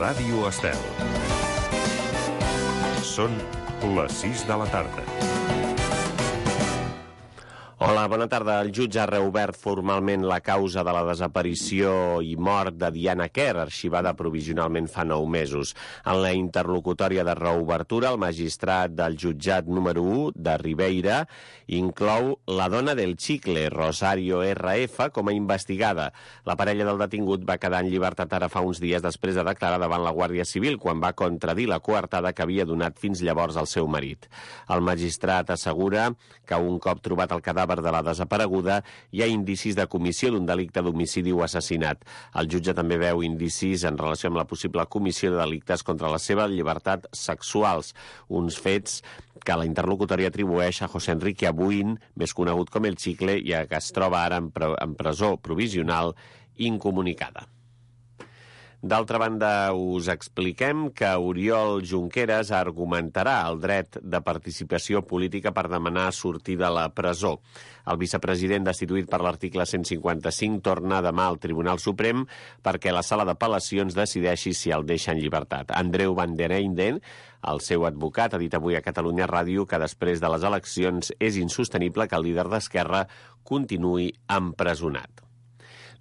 Ràdio Estel. Són les 6 de la tarda. Hola, bona tarda. El jutge ha reobert formalment la causa de la desaparició i mort de Diana Quer, arxivada provisionalment fa 9 mesos. En la interlocutòria de reobertura, el magistrat del jutjat número 1 de Ribeira inclou la dona del Chicle, Rosario R.F., com a investigada. La parella del detingut va quedar en llibertat ara fa uns dies després de declarar davant la Guàrdia Civil, quan va contradir la coartada que havia donat fins llavors al seu marit. El magistrat assegura que un cop trobat el cadàver de la desapareguda hi ha indicis de comissió d'un delicte d'homicidi o assassinat. El jutge també veu indicis en relació amb la possible comissió de delictes contra la seva llibertat sexuals, uns fets que la interlocutòria atribueix a José Enrique Abuin, més conegut com el Chicle, i que es troba ara en presó provisional incomunicada. D'altra banda, us expliquem que Oriol Junqueras argumentarà el dret de participació política per demanar sortir de la presó. El vicepresident destituït per l'article 155 torna demà al Tribunal Suprem perquè la sala d'apel·lacions decideixi si el deixa en llibertat. Andreu Van der Eyden, el seu advocat, ha dit avui a Catalunya Ràdio que després de les eleccions és insostenible que el líder d'Esquerra continuï empresonat.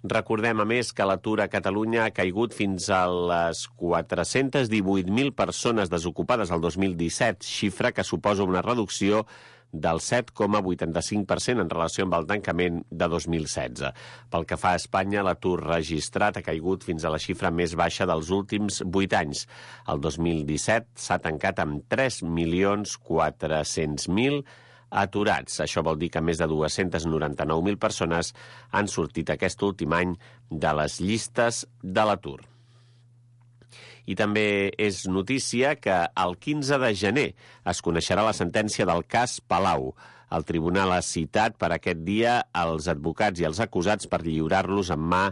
Recordem, a més, que l'atur a Catalunya ha caigut fins a les 418.000 persones desocupades el 2017, xifra que suposa una reducció del 7,85% en relació amb el tancament de 2016. Pel que fa a Espanya, l'atur registrat ha caigut fins a la xifra més baixa dels últims 8 anys. El 2017 s'ha tancat amb 3.400.000 aturats. Això vol dir que més de 299.000 persones han sortit aquest últim any de les llistes de l'atur. I també és notícia que el 15 de gener es coneixerà la sentència del cas Palau. El tribunal ha citat per aquest dia els advocats i els acusats per lliurar-los en mà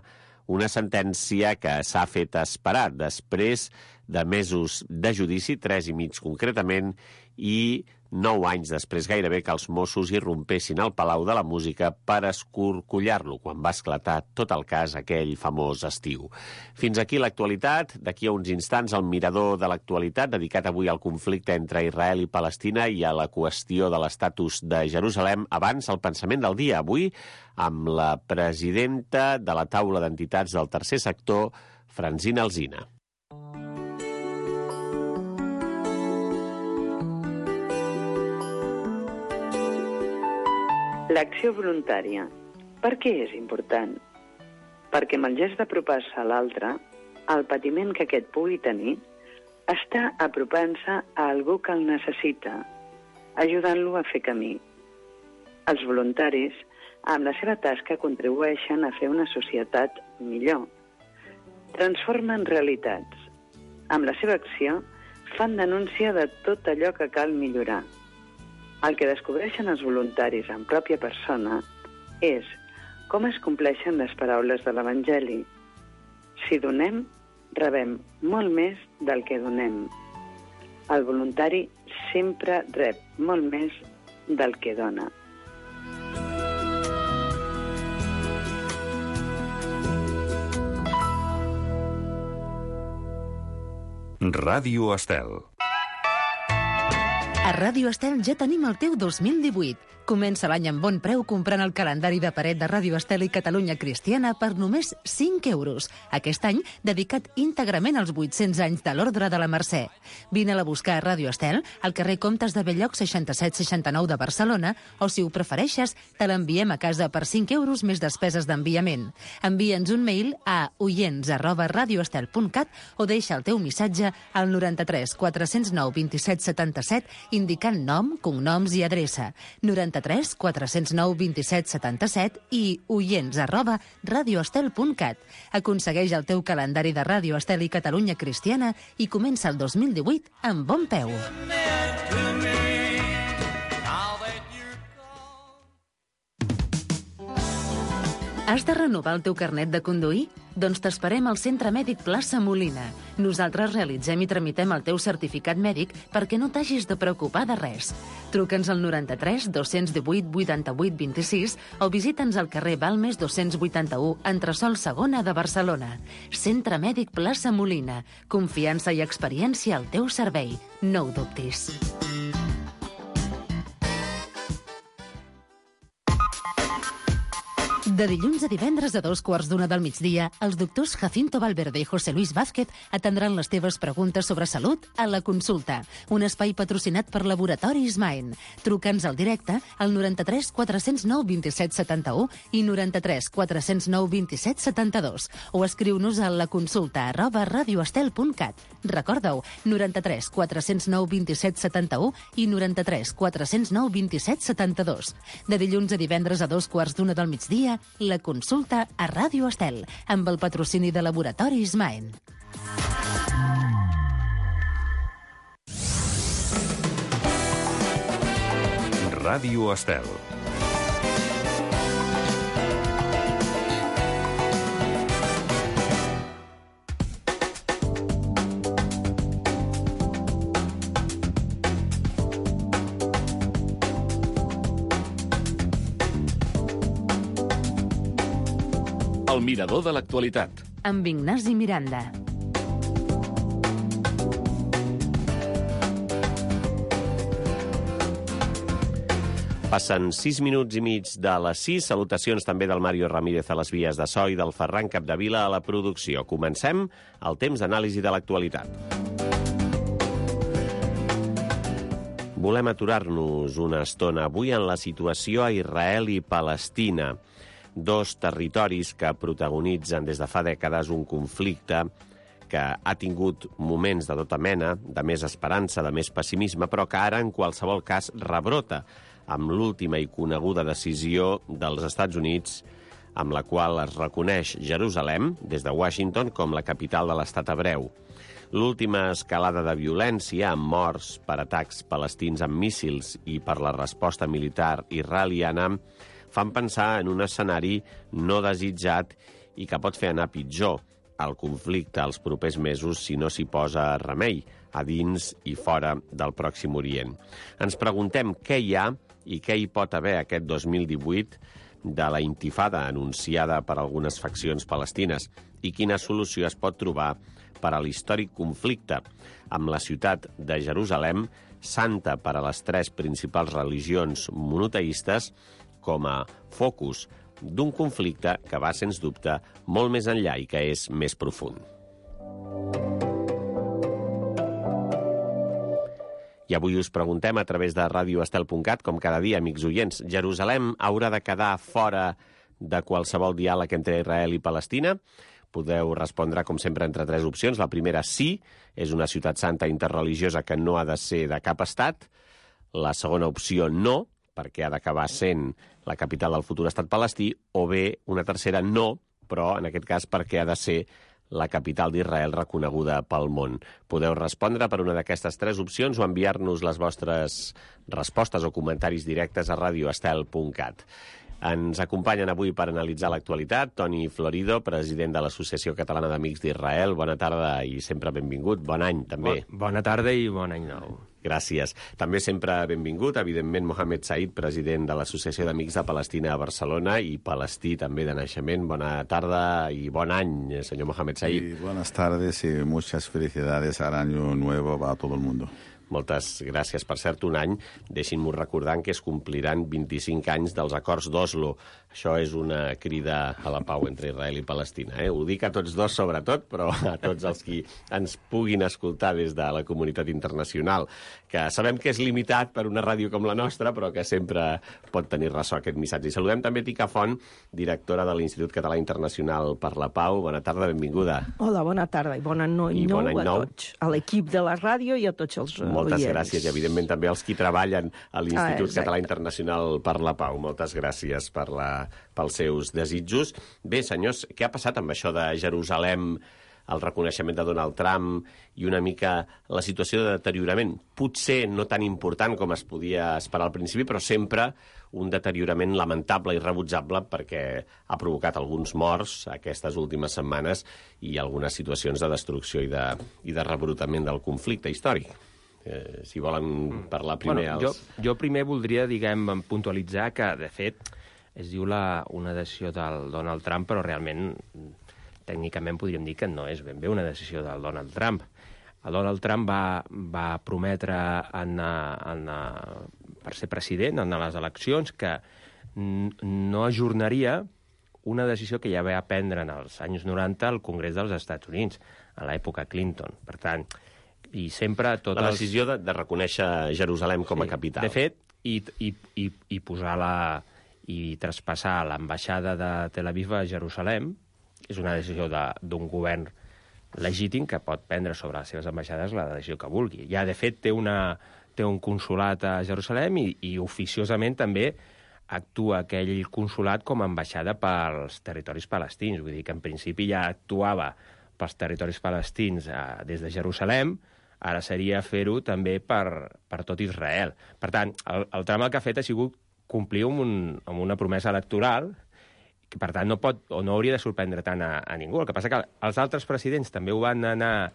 una sentència que s'ha fet esperar després de mesos de judici, 3 i mig concretament, i 9 anys després gairebé que els Mossos irrompessin al Palau de la Música per escorcollar-lo quan va esclatar tot el cas aquell famós estiu. Fins aquí l'actualitat. D'aquí a uns instants el mirador de l'actualitat dedicat avui al conflicte entre Israel i Palestina i a la qüestió de l'estatus de Jerusalem. Abans, el pensament del dia avui amb la presidenta de la taula d'entitats del tercer sector, Francina Alsina. L'acció voluntària. Per què és important? Perquè amb el gest d'apropar-se a l'altre, el patiment que aquest pugui tenir, està apropant-se a algú que el necessita, ajudant-lo a fer camí. Els voluntaris, amb la seva tasca, contribueixen a fer una societat millor. Transformen realitats. Amb la seva acció, fan denúncia de tot allò que cal millorar. El que descobreixen els voluntaris en pròpia persona és com es compleixen les paraules de l'Evangeli. Si donem, rebem molt més del que donem. El voluntari sempre rep molt més del que dona. Ràdio Estel. A Ràdio Estel ja tenim el teu 2018. Comença l'any amb bon preu comprant el calendari de paret de Ràdio Estel i Catalunya Cristiana per només 5 euros. Aquest any dedicat íntegrament als 800 anys de l'Ordre de la Mercè. Vine-la a buscar a Ràdio Estel, al carrer Comtes de Belllloc 6769 de Barcelona, o si ho prefereixes, te l'enviem a casa per 5 euros més despeses d'enviament. Envia'ns un mail a oients@radioestel.cat o deixa el teu missatge al 93 409 27 77 indicant nom, cognoms i adreça. 93 409 27 77 i oients@radioestel.cat. Aconsegueix el teu calendari de Ràdio Estel i Catalunya Cristiana i comença el 2018 amb bon peu. Has Has de renovar el teu carnet de conduir? Doncs t'esperem al Centre Mèdic Plaça Molina. Nosaltres realitzem i tramitem el teu certificat mèdic perquè no t'hagis de preocupar de res. Truca'ns al 93 218 88 26 o visita'ns al carrer Balmes 281, entresòl segona de Barcelona. Centre Mèdic Plaça Molina. Confiança i experiència al teu servei. No ho dubtis. De dilluns a divendres a 2:15 del migdia, els doctors Jacinto Valverde i José Luis Vázquez atendran les teves preguntes sobre salut a La Consulta, un espai patrocinat per Laboratoris Maen. Truca'ns al directe al 93 409 27 71 i 93 409 27 72 o escriu-nos a laconsulta@radioestel.cat. Recorda-ho, 93 409 27 71 i 93 409 27 72. De dilluns a divendres a 2:15 del migdia, La Consulta a Ràdio Estel, amb el patrocini de Laboratoris Maen. Ràdio Estel. El mirador de l'actualitat. Amb Ignasi Miranda. Passen 6 minuts i mig de les 6. Salutacions també del Mario Ramírez a les vies de so i del Ferran Capdevila a la producció. Comencem el temps d'anàlisi de l'actualitat. Volem aturar-nos una estona avui en la situació a Israel i Palestina, dos territoris que protagonitzen des de fa dècades un conflicte que ha tingut moments de tota mena, de més esperança, de més pessimisme, però que ara, en qualsevol cas, rebrota amb l'última i coneguda decisió dels Estats Units, amb la qual es reconeix Jerusalem, des de Washington, com la capital de l'estat hebreu. L'última escalada de violència, amb morts per atacs palestins amb míssils i per la resposta militar israeliana, fan pensar en un escenari no desitjat i que pot fer anar pitjor el conflicte als propers mesos si no s'hi posa remei, a dins i fora del Pròxim Orient. Ens preguntem què hi ha i què hi pot haver aquest 2018 de la intifada anunciada per algunes faccions palestines i quina solució es pot trobar per a l'històric conflicte amb la ciutat de Jerusalem, santa per a les tres principals religions monoteistes, com a focus d'un conflicte que va, sens dubte, molt més enllà i que és més profund. I avui us preguntem a través de radioestel.cat, com cada dia, amics oients, Jerusalem haurà de quedar fora de qualsevol diàleg entre Israel i Palestina? Podeu respondre, com sempre, entre tres opcions. La primera, sí, és una ciutat santa interreligiosa que no ha de ser de cap estat. La segona opció, no, perquè ha d'acabar sent la capital del futur estat palestí, o bé una tercera, no, però en aquest cas perquè ha de ser la capital d'Israel reconeguda pel món. Podeu respondre per una d'aquestes tres opcions o enviar-nos les vostres respostes o comentaris directes a radioestel.cat. Ens acompanyen avui per analitzar l'actualitat Toni Florido, president de l'Associació Catalana d'Amics d'Israel. Bona tarda i sempre benvingut. Bon any, també. Bona tarda i bon any nou. Gràcies. També sempre benvingut, evidentment, Mohamed Said, president de l'Associació d'Amics de Palestina a Barcelona i palestí també de naixement. Bona tarda i bon any, senyor Mohamed Said. Y buenas tardes y muchas felicidades al año nuevo a todo el mundo. Moltes gràcies. Per cert, un any, deixin-m'ho recordant que es compliran 25 anys dels acords d'Oslo. Això és una crida a la pau entre Israel i Palestina. Ho dic a tots dos, sobretot, però a tots els qui ens puguin escoltar des de la comunitat internacional, que sabem que és limitat per una ràdio com la nostra, però que sempre pot tenir ressò aquest missatge. I saludem també Tica Font, directora de l'Institut Català Internacional per la Pau. Bona tarda, benvinguda. Hola, bona tarda i bon any nou a tots, a l'equip de la ràdio i a tots els Moltes oients. gràcies i, evidentment, també als qui treballen a l'Institut Català Internacional per la Pau. Moltes gràcies pels seus desitjos. Bé, senyors, què ha passat amb això de Jerusalem el reconeixement de Donald Trump i una mica la situació de deteriorament, potser no tan important com es podia esperar al principi, però sempre un deteriorament lamentable i rebutzable perquè ha provocat alguns morts aquestes últimes setmanes i algunes situacions de destrucció i de rebrutament del conflicte històric. Si volen parlar primer... Jo primer voldria, puntualitzar que, de fet, es diu una decisió del Donald Trump, però realment, tècnicament, podríem dir que no és ben bé una decisió del Donald Trump. El Donald Trump va prometre per ser president en les eleccions que no ajornaria una decisió que ja va prendre en els anys 90 al Congrés dels Estats Units, a l'època Clinton. Per tant, i sempre... La decisió de reconèixer Jerusalem com a capital. De fet, i posar i traspassar l'ambaixada de Tel Aviv a Jerusalem és una decisió d'un govern legítim que pot prendre sobre les seves ambaixades la decisió que vulgui. Ja, de fet, té un consulat a Jerusalem i oficiosament també actua aquell consulat com a ambaixada pels territoris palestins. Vull dir que, en principi, ja actuava pels territoris palestins des de Jerusalem, ara seria fer-ho també per tot Israel. Per tant, el Trump el que ha fet ha sigut complir amb una promesa electoral que, per tant, no hauria de sorprendre tant a ningú. El que passa que els altres presidents també ho van anar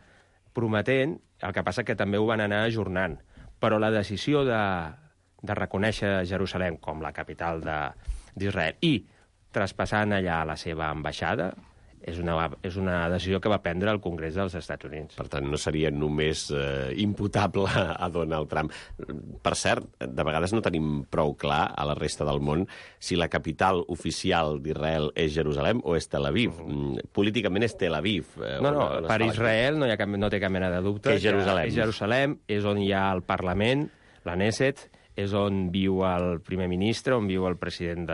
prometent, el que passa que també ho van anar ajornant. Però la decisió de reconèixer Jerusalem com la capital d'Israel i traspassant allà la seva ambaixada és una decisió que va prendre el Congrés dels Estats Units. Per tant, no seria només imputable a Donald Trump. Per cert, de vegades no tenim prou clar a la resta del món si la capital oficial d'Israel és Jerusalem o és Tel Aviv. Políticament és Tel Aviv. Per Israel no té cap mena de dubte. Que és Jerusalem. Jerusalem és on hi ha el Parlament, la Knesset, és on viu el primer ministre, on viu el president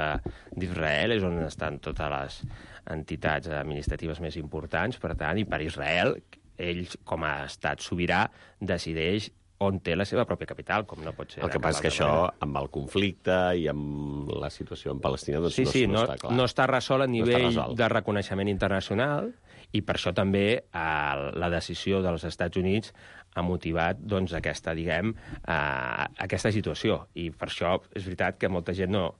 d'Israel, és on estan totes les entitats administratives més importants, per tant, i per Israel, ell, com a estat sobirà, decideix on té la seva pròpia capital, com no pot ser. El que passa és que això, amb el conflicte i amb la situació en Palestina, doncs no està clar. No està resolt a nivell de reconeixement internacional, i per això també la decisió dels Estats Units ha motivat doncs, aquesta situació. I per això és veritat que molta gent no...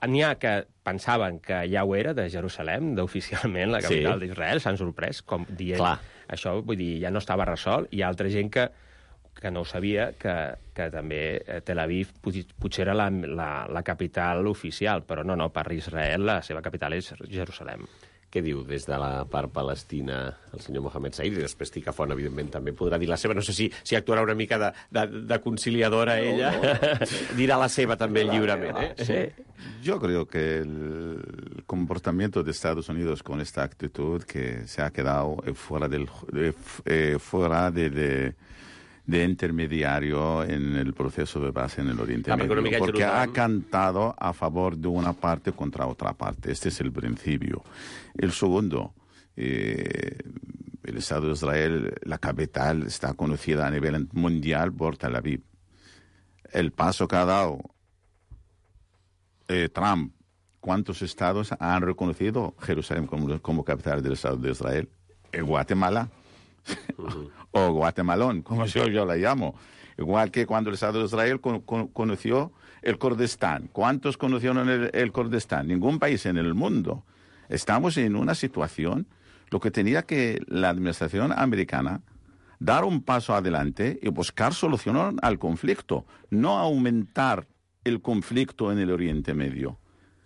N'hi ha que pensaven que ja ho era, de Jerusalem, oficialment la capital d'Israel, s'han sorprès, com dient això, vull dir, ja no estava resolt. Hi ha altra gent que no ho sabia, que també Tel Aviv potser era la capital oficial, però no, per Israel la seva capital és Jerusalem. Què diu des de la part palestina el senyor Mohamed Said? I després Tica Font, evidentment, també podrà dir la seva. No sé si actuarà una mica de conciliadora ella. Dirà la seva també lliurement, Sí. Yo creo que el comportamiento de Estados Unidos con esta actitud que se ha quedado fuera de intermediario en el proceso de paz en el Oriente Medio, porque ha cantado a favor de una parte contra otra parte. Este es el principio. El segundo, el Estado de Israel, la capital, está conocida a nivel mundial por Tel Aviv. El paso que ha dado Trump, ¿cuántos estados han reconocido Jerusalén como capital del Estado de Israel? Guatemala. O Guatemalón, como yo la llamo. Igual que cuando el Estado de Israel conoció el Kurdistán. ¿Cuántos conocieron el Kurdistán? Ningún país en el mundo. Estamos en una situación, lo que tenía que la administración americana dar un paso adelante y buscar soluciones al conflicto, no aumentar el conflicto en el Oriente Medio.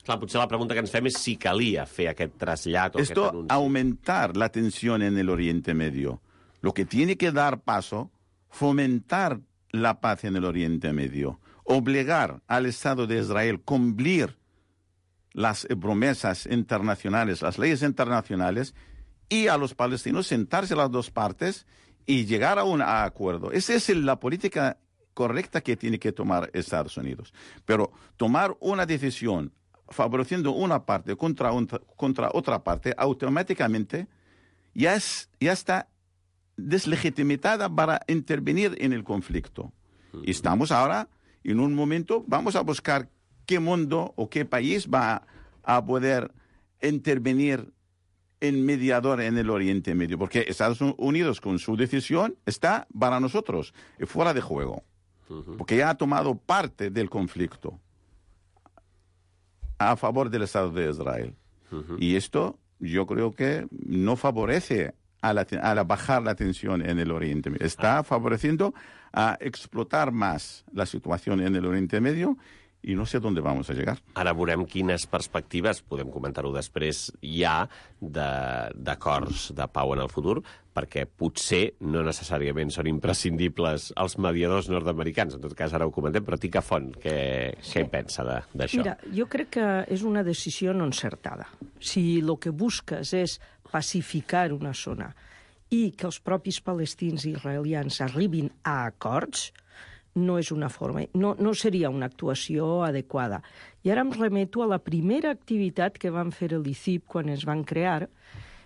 Clar, potser la pregunta que ens fem és si calia fer aquest trasllat o Esto aquest anunci. Aumentar la tensión en el Oriente Medio. Lo que tiene que dar paso, fomentar la paz en el Oriente Medio, obligar al Estado de Israel a cumplir las promesas internacionales, las leyes internacionales, y a los palestinos sentarse las dos partes y llegar a un acuerdo. Esa es la política correcta que tiene que tomar Estados Unidos. Pero tomar una decisión favoreciendo una parte contra otra parte, automáticamente ya está deslegitimada para intervenir en el conflicto. Y estamos ahora en un momento, vamos a buscar qué mundo o qué país va a poder intervenir en mediador en el Oriente Medio, porque Estados Unidos con su decisión está para nosotros fuera de juego, porque ya ha tomado parte del conflicto a favor del Estado de Israel. Y esto yo creo que no favorece a bajar la tensión en el Oriente Medio. Está favoreciendo a explotar más la situación en el Oriente Medio i no sé on vamos a llegar. Ara veurem quines perspectives, podem comentar-ho després, hi ha d'acords de pau en el futur, perquè potser no necessàriament són imprescindibles els mediadors nord-americans. En tot cas, ara ho comentem, però Tica Font, què en pensa d'això? Mira, jo crec que és una decisió no encertada. Si el que busques és pacificar una zona i que els propis palestins i israelians arribin a acords, no és una forma, no seria una actuació adequada. I ara em remeto a la primera activitat que van fer l'ICIP quan es van crear,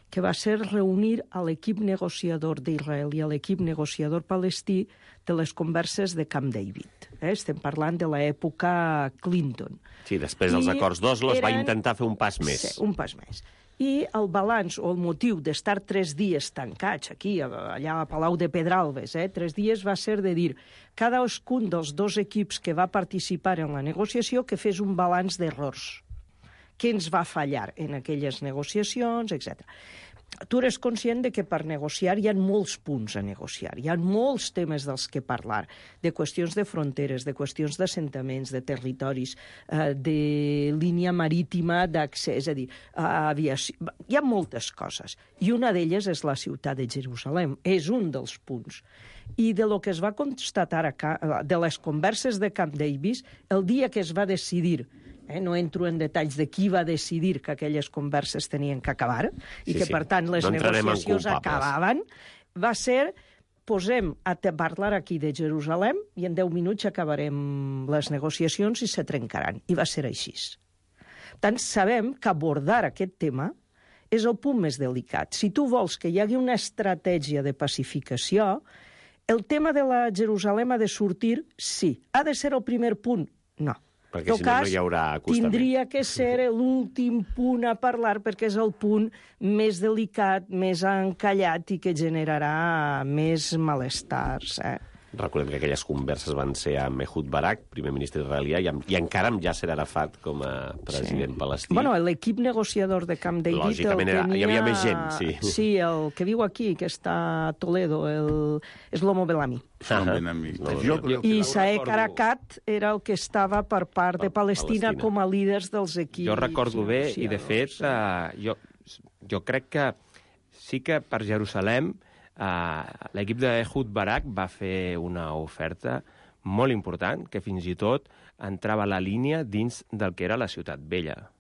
que va ser reunir a l'equip negociador d'Israel i a l'equip negociador palestí de les converses de Camp David. Estem parlant de l'època Clinton. Sí, després dels acords d'Oslo es va intentar fer un pas més. Sí, un pas més. I el balanç o el motiu d'estar 3 dies tancats aquí, allà a Palau de Pedralbes, 3 dies va ser de dir cadascun dels 2 equips que va participar en la negociació que fes un balanç d'errors. Què ens va fallar en aquelles negociacions, etc. Tu eres conscient de que per negociar hi ha molts punts a negociar, hi ha molts temes dels que parlar, de qüestions de fronteres, de qüestions d'assentaments, de territoris, de línia marítima d'accés, és a dir, aviació. Hi ha moltes coses, i una d'elles és la ciutat de Jerusalem, és un dels punts. I de lo que es va constatar, de les converses de Camp David, el dia que es va decidir, no entro en detalls de qui va decidir que aquelles converses tenien que acabar i que, per tant, les negociacions acabaven, va ser posem a parlar aquí de Jerusalem i en 10 minuts acabarem les negociacions i se trencaran. I va ser així. Per tant, sabem que abordar aquest tema és el punt més delicat. Si tu vols que hi hagi una estratègia de pacificació, el tema de la Jerusalem ha de sortir, sí. Ha de ser el primer punt? No. Perquè si no, no hi haurà acostament. Tindria que ser l'últim punt a parlar perquè és el punt més delicat, més encallat i que generarà més malestars. Recordem que aquelles converses van ser amb Ehud Barak, primer ministre israelià, i encara amb Yasser Arafat com a president palestí. Bueno, l'equip negociador de Camp David... Lògicament hi havia més gent, sí. Sí, el que viu aquí, que està a Toledo, és l'Homo Bellamy. I Saek Arakat era el que estava per part de Palestina com a líders dels equips. Jo recordo bé, i de fet, jo crec que sí que per Jerusalem l'equip d'Ehud Barak va fer una oferta molt important, que fins i tot entrava a la línia dins del que era la Ciutat Vella.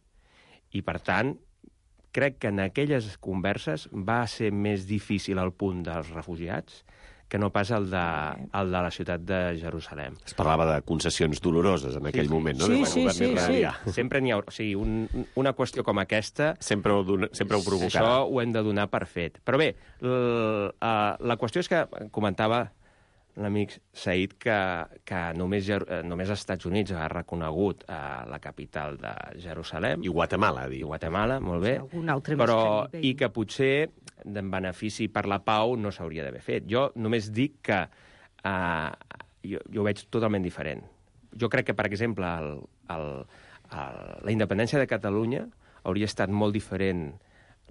I, per tant, crec que en aquelles converses va ser més difícil el punt dels refugiats que no pas el de la ciutat de Jerusalem. Es parlava de concessions doloroses en aquell moment, no? Sí. Sempre n'hi haurà... O sigui, una qüestió com aquesta... Sempre ho provocarà. Això ho hem de donar per fet. Però bé, la qüestió és que comentava l'amic Said que només els Estats Units ha reconegut la capital de Jerusalem. I Guatemala, diu. I Guatemala, molt bé. Però, i que potser en benefici per la pau no s'hauria d'haver fet. Jo només dic que jo ho veig totalment diferent. Jo crec que, per exemple, la independència de Catalunya hauria estat molt diferent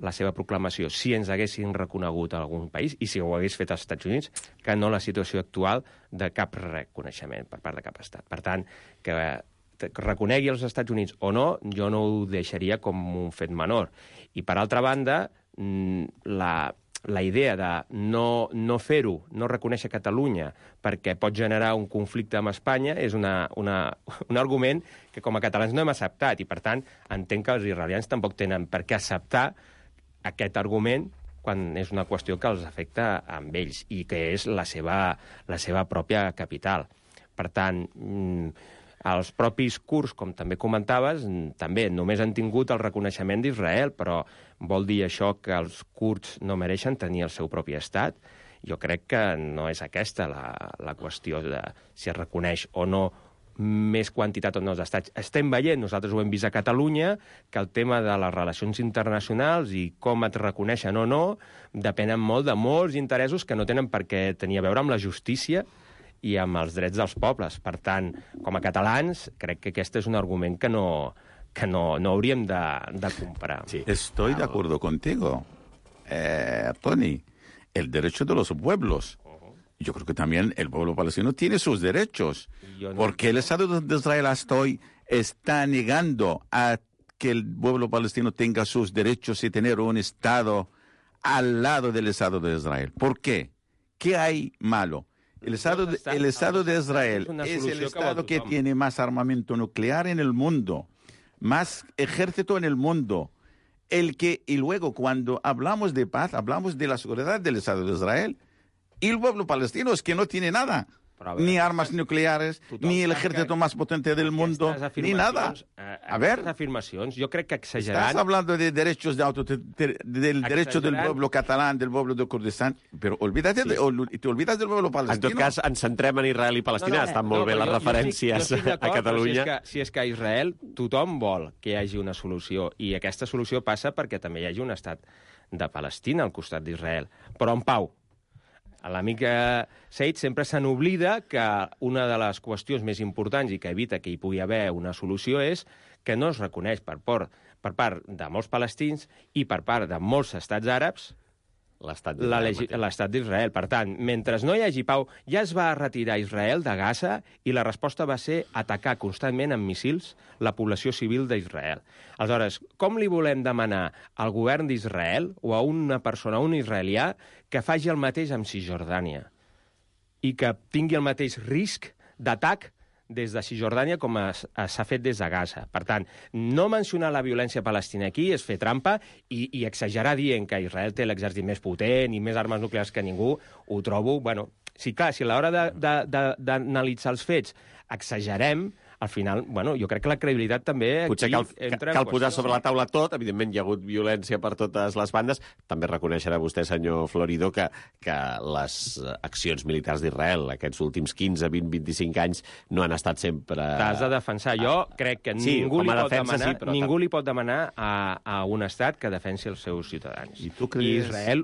la seva proclamació si ens haguessin reconegut a algun país i si ho hagués fet als Estats Units que no la situació actual de cap reconeixement per part de cap estat. Per tant, que reconegui els Estats Units o no, jo no ho deixaria com un fet menor. I, per altra banda, la idea de no fer-ho, no reconèixer Catalunya perquè pot generar un conflicte amb Espanya és un argument que com a catalans no hem acceptat i, per tant, entenc que els israelians tampoc tenen per què acceptar aquest argument quan és una qüestió que els afecta amb ells i que és la seva pròpia capital. Per tant, els propis kurds, com també comentaves, també només han tingut el reconeixement d'Israel, però vol dir això que els kurds no mereixen tenir el seu propi estat? Jo crec que no és aquesta la qüestió de si es reconeix o no més quantitat o no d'estats. Estem veient, nosaltres ho hem vist a Catalunya, que el tema de les relacions internacionals i com et reconeixen o no depenen molt de molts interessos que no tenen per què tenir a veure amb la justícia i amb els drets dels pobles. Per tant, com a catalans, crec que aquest és un argument que no hauríem de comprar. Sí. Estoy de acuerdo contigo, Tony. El derecho de los pueblos. Yo creo que también el pueblo palestino tiene sus derechos. Porque el Estado de Israel hasta hoy está negando a que el pueblo palestino tenga sus derechos y tener un Estado al lado del Estado de Israel. ¿Por qué? ¿Qué hay malo? El Estado de Israel es el Estado que tiene más armamento nuclear en el mundo, más ejército en el mundo. Y luego cuando hablamos de paz, hablamos de la seguridad del Estado de Israel. Y el pueblo palestino es que no tiene nada. Ni armas nucleares, ni el ejército más potente del mundo, ni nada. A ver, afirmacions, jo crec que exagerant... Estás hablando de derechos del derecho del pueblo catalán, del pueblo de Kurdistán, pero te olvidas del pueblo palestino. En tot cas, ens centrem en Israel i Palestina. Estan molt bé les referències a Catalunya. Si és que a Israel tothom vol que hi hagi una solució, i aquesta solució passa perquè també hi hagi un estat de Palestina al costat d'Israel, però en pau. L'amic Said sempre se n'oblida que una de les qüestions més importants i que evita que hi pugui haver una solució és que no es reconeix per part de molts palestins i per part de molts estats àrabs l'estat d'Israel. Per tant, mentre no hi hagi pau, ja es va retirar Israel de Gaza i la resposta va ser atacar constantment amb missils la població civil d'Israel. Aleshores, com li volem demanar al govern d'Israel o a una persona, un israelià, que faci el mateix amb Cisjordània i que tingui el mateix risc d'atac des de Cisjordània com s'ha fet des de Gaza. Per tant, no mencionar la violència palestina aquí és fer trampa i exagerar dient que Israel té l'exèrcit més potent i més armes nuclears que ningú, ho trobo... Bueno, sí, clar, si a l'hora d'analitzar els fets exagerem, al final, bueno, jo crec que la credibilitat també potser cal posar sobre la taula tot. Evidentment, hi ha hagut violència per totes les bandes. També reconeixerà vostè, senyor Florido, que les accions militars d'Israel aquests últims 15, 20, 25 anys no han estat sempre... T'has de defensar. Jo crec que ningú li pot demanar a un estat que defensi els seus ciutadans. I Israel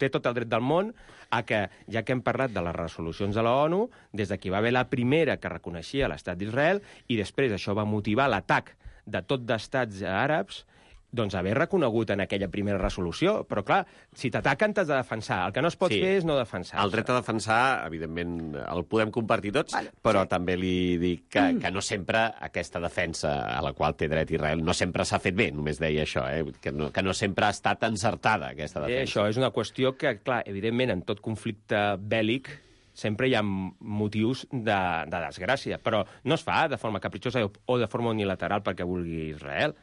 té tot el dret del món a que, ja que hem parlat de les resolucions de la ONU, des de que hi va haver la primera que reconeixia l'estat d'Israel, i després això va motivar l'atac de tot d'estats àrabs, doncs haver reconegut en aquella primera resolució. Però, clar, si t'ataquen t'has de defensar. El que no es pot fer és no defensar. El dret a defensar, evidentment, el podem compartir tots, però també li dic que no sempre aquesta defensa a la qual té dret Israel no sempre s'ha fet bé, només deia això, que no sempre ha estat encertada, aquesta defensa. Això és una qüestió que, clar, evidentment, en tot conflicte bèl·lic sempre hi ha motius de desgràcia, però no es fa de forma capritxosa o de forma unilateral perquè vulgui Israel.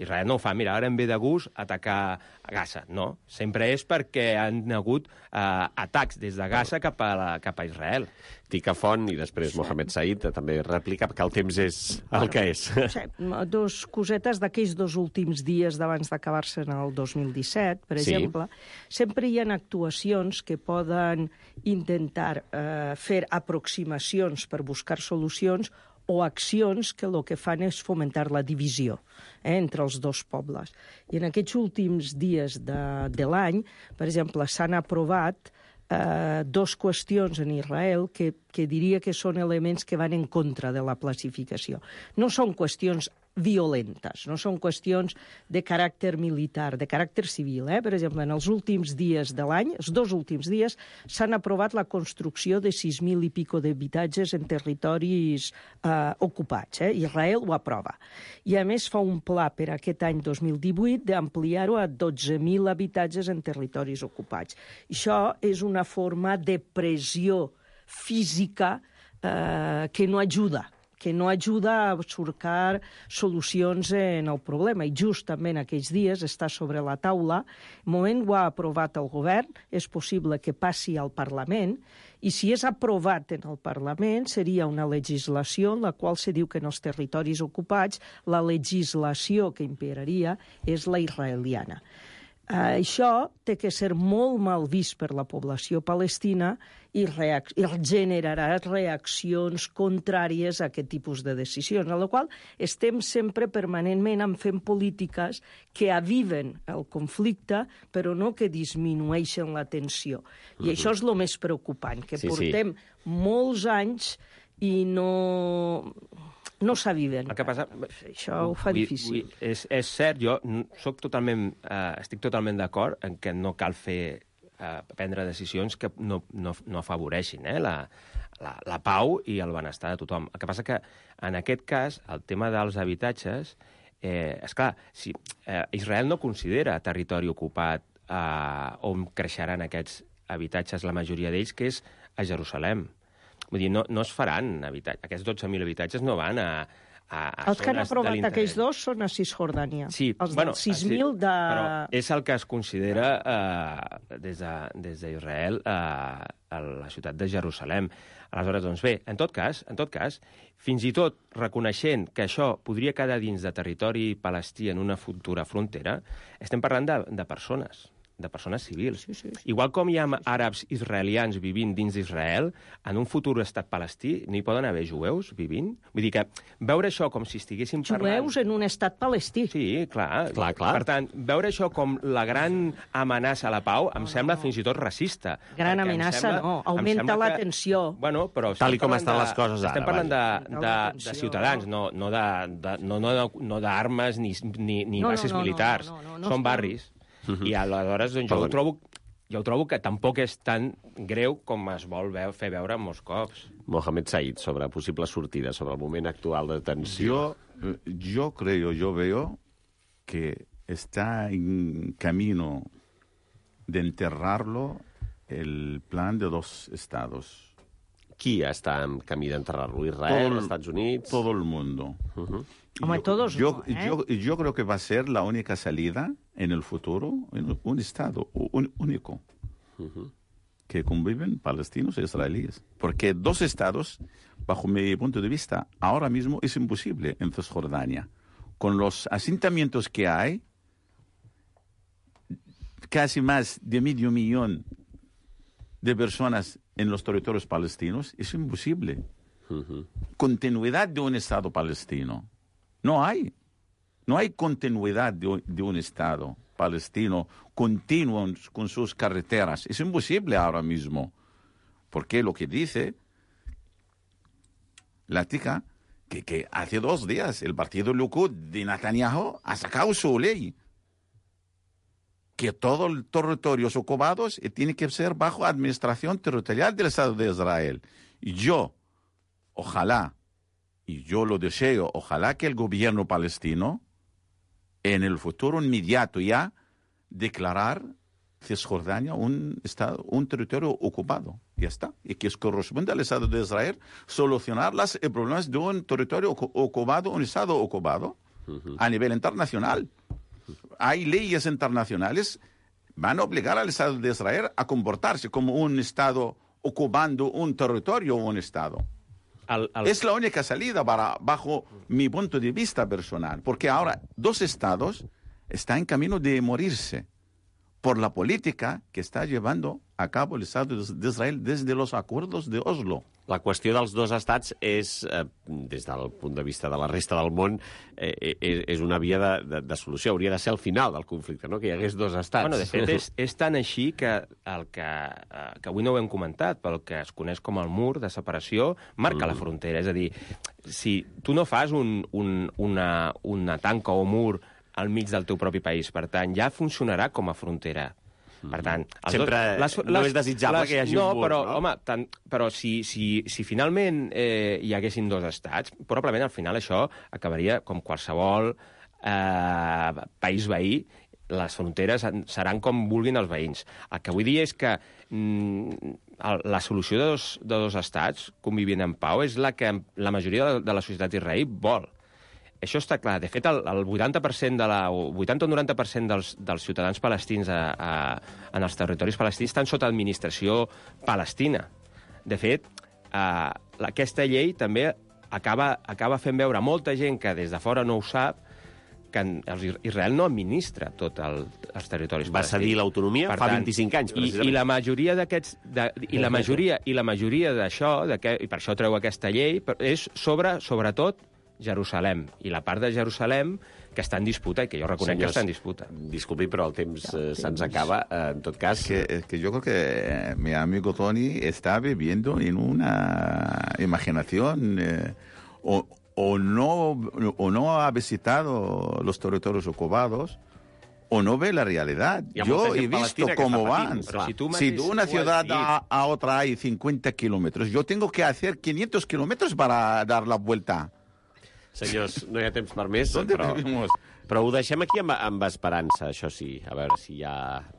Israel no ho fa. Mira, ara em ve de gust atacar a Gaza. No, sempre és perquè han hagut atacs des de Gaza cap a Israel. Tica Font i després Mohamed Said també replica que el temps és el que és. Sí, dos cosetes d'aquells dos últims dies d'abans d'acabar-se en el 2017, per exemple. Sempre hi ha actuacions que poden intentar fer aproximacions per buscar solucions o accions que el que fan és fomentar la divisió entre els dos pobles. I en aquests últims dies de l'any, per exemple, s'han aprovat dos qüestions en Israel que diria que són elements que van en contra de la pacificació. No són qüestions violentes, no són qüestions de caràcter militar, de caràcter civil. Per exemple, en els últims dies de l'any, els dos últims dies, s'han aprovat la construcció de 6.000 i pico d'habitatges en territoris ocupats. Israel ho aprova. I, a més, fa un pla per aquest any 2018 d'ampliar-ho a 12.000 habitatges en territoris ocupats. Això és una forma de pressió física que no ajuda a cercar solucions en el problema. I justament aquells dies està sobre la taula, el moment ho ha aprovat el govern, és possible que passi al Parlament, i si és aprovat en el Parlament seria una legislació en la qual se diu que en els territoris ocupats la legislació que imperaria és la israeliana. Això té que ser molt mal vist per la població palestina i generarà reaccions contràries a aquest tipus de decisions, a la qual estem sempre permanentment fent polítiques que aviven el conflicte, però no que disminueixen la tensió. I això és el més preocupant, que portem molts anys i no s'aviven. El que passa... Això ho fa difícil. És cert, jo estic totalment d'acord en que no cal prendre decisions que no afavoreixin la pau i el benestar de tothom. El que passa que, en aquest cas, el tema dels habitatges, esclar, si Israel no considera territori ocupat on creixeran aquests habitatges, la majoria d'ells, que és a Jerusalem. Vull dir, no es faran habitatges. Aquests 12.000 habitatges no van a els que han aprovat aquells dos són a Cisjordània. Sí, els dels 6.000 de... Però és el que es considera des d'Israel a la ciutat de Jerusalem. Aleshores, doncs bé, en tot cas, fins i tot reconeixent que això podria quedar dins de territori palestí en una futura frontera, estem parlant de persones civils. Sí. Igual com hi ha àrabs israelians vivint dins d'Israel, en un futur estat palestí no hi poden haver jueus vivint? Vull dir que veure això com si estiguéssim parlant... Jueus en un estat palestí. Sí, clar. Per tant, veure això com la gran amenaça a la pau em sembla fins i tot racista. Gran amenaça no, augmenta la tensió. Bueno, però... Tal com estan les coses ara. Estem parlant de ciutadans, no d'armes ni bases militars. Són barris. I aleshores doncs, jo ho trobo que tampoc és tan greu com es vol fer veure molts cops. Mohamed Said, sobre possible sortida, sobre el moment actual de tensió. Yo veo que está en camino de enterrarlo el plan de 2 estados. Qui està en camí d'enterrar-lo? Israel, Estats Units? Todo el mundo. Hombre, todos no, yo creo que va a ser la única salida en el futuro, en un estado único, que conviven palestinos e israelíes. Porque 2 estados, bajo mi punto de vista, ahora mismo es imposible en Cisjordania. Con los asentamientos que hay, casi más de 500,000 de personas en los territorios palestinos, es imposible. Continuidad de un Estado palestino. No hay continuidad de un Estado palestino continuo con sus carreteras. Es imposible ahora mismo. Porque lo que dice la tica, que hace 2 días el partido Likud de Netanyahu ha sacado su ley. Que todos los territorios ocupados tienen que ser bajo administración territorial del Estado de Israel. Y yo, ojalá, y yo lo deseo, ojalá que el gobierno palestino, en el futuro inmediato ya, declarar Cisjordania un territorio ocupado. Ya está. Y que corresponde al Estado de Israel solucionar los problemas de un territorio ocupado, un Estado ocupado, a nivel internacional. Hay leyes internacionales van a obligar al Estado de Israel a comportarse como un Estado ocupando un territorio o un Estado. Es la única salida bajo mi punto de vista personal, porque ahora 2 estados están en camino de morirse por la política que está llevando a cabo el Estado de Israel desde los acuerdos de Oslo. La qüestió dels 2 estats és, des del punt de vista de la resta del món, és una via de solució. Hauria de ser el final del conflicte, no? Que hi hagués 2 estats. Bueno, de fet, és tan així que avui no ho hem comentat, però el que es coneix com el mur de separació marca la frontera. És a dir, si tu no fas una tanca o mur al mig del teu propi país, per tant, ja funcionarà com a frontera. Per tant, no és desitjable que hi hagi un mur, no? Home, però si finalment hi haguessin 2 estats, probablement al final això acabaria com qualsevol país veí, les fronteres seran com vulguin els veïns. El que vull dir és que la solució de dos estats convivint en pau és la que la majoria de la societat israelí vol. Això està clar. De fet, el 80% o 90% dels ciutadans palestins en els territoris palestins estan sota administració palestina. De fet, aquesta llei també acaba fent veure a molta gent que des de fora no ho sap Israel no administra tots els territoris Va cedir l'autonomia fa 25 anys, precisament. I la majoria d'aquests... I la majoria d'això, i per això treu aquesta llei, és sobretot Jerusalem. I la part de Jerusalem que està en disputa, i que jo reconec que està en disputa. Disculpi, però el temps se'ns acaba. En tot cas... que yo creo que mi amigo Tony está viviendo en una imaginación o no ha visitado los territorios ocupados o no ve la realidad. Yo he visto cómo van. Si de una ciudad a otra hay 50 kilómetros, yo tengo que hacer 500 kilómetros para dar la vuelta. Senyors, no hi ha temps per més, ¿Dónde vivimos? però ho deixem aquí amb esperança, això sí. A veure si hi ha